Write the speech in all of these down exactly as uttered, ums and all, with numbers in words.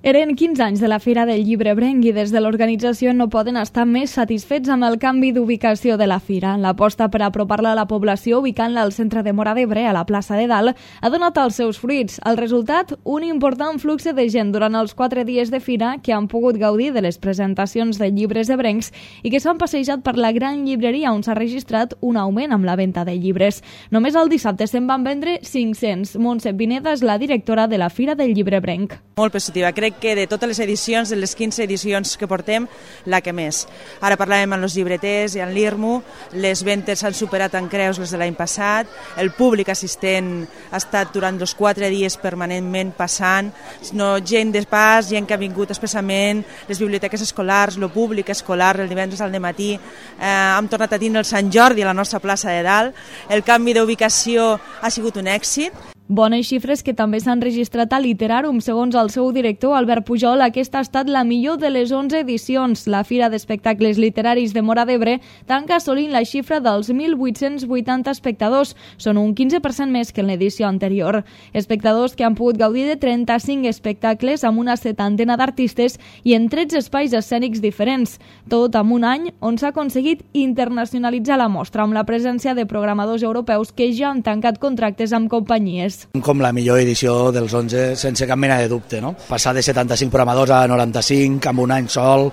Eren quinze anys de la Fira del Llibre Ebrenc i des de l'organització no poden estar més satisfets amb el canvi d'ubicació de la Fira. L'aposta per apropar-la a la població ubicant-la al centre de Móra d'Ebre, a la plaça de Dalt, ha donat els seus fruits. El resultat, un important flux de gent durant els quatre dies de Fira que han pogut gaudir de les presentacions de llibres ebrencs i que s'han passejat per la gran llibreria on s'ha registrat un augment amb la venda de llibres. Només el dissabte se'n van vendre cinc-cents. Montse Pineda és la directora de la Fira del Llibre Ebrenc. Molt positiva. Crec que de totes les edicions, de les quinze edicions que portem, la que més. Ara parlàvem amb els llibreters i amb l'I R M U, les ventes s'han superat en creus les de l'any passat, el públic assistent ha estat durant els quatre dies permanentment passant, no, gent de pas, gent que ha vingut expressament, les biblioteques escolars, el públic escolar, el divendres al dematí, eh, hem tornat a tindre el Sant Jordi a la nostra plaça de Dalt, el canvi d'ubicació ha sigut un èxit. Bones xifres que també s'han registrat a Literarum. Segons el seu director, Albert Pujol, aquesta ha estat la millor de les onze edicions. La Fira d'Espectacles Literaris de Móra d'Ebre tanca assolint la xifra dels mil vuit-cents vuitanta espectadors. Són un quinze per cent més que en l'edició anterior. Espectadors que han pogut gaudir de trenta-cinc espectacles amb una setantena d'artistes i en tretze espais escènics diferents. Tot amb un any on s'ha aconseguit internacionalitzar la mostra amb la presència de programadors europeus que ja han tancat contractes amb companyies. Com la millor edició dels onze, sense cap mena de dubte, no? Passar de setanta-cinc programadors a noranta-cinc, amb un any sol,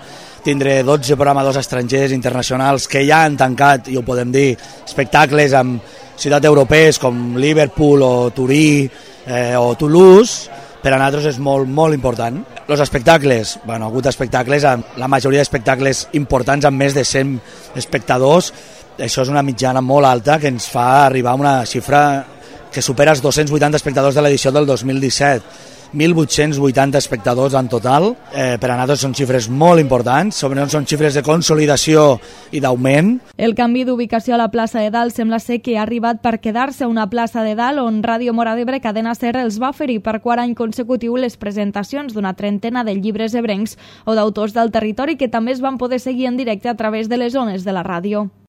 tindre dotze programadors estrangers internacionals que ja han tancat, i ho podem dir, espectacles amb ciutats europees com Liverpool o Turí eh, o Toulouse, per a nosaltres és molt, molt important. Els espectacles, bueno, ha hagut espectacles, la majoria d'espectacles importants amb més de cent espectadors, això és una mitjana molt alta que ens fa arribar a una xifra que supera els dos-cents vuitanta espectadors de l'edició del dos mil disset. mil vuit-cents vuitanta espectadors en total. Eh, per a nosaltres són xifres molt importants, sobretot són xifres de consolidació i d'augment. El canvi d'ubicació a la plaça de Dalt sembla ser que ha arribat per quedar-se a una plaça de Dalt on Ràdio Móra d'Ebre Cadena Ser els va oferir per quart any consecutiu les presentacions d'una trentena de llibres ebrencs o d'autors del territori que també es van poder seguir en directe a través de les ones de la ràdio.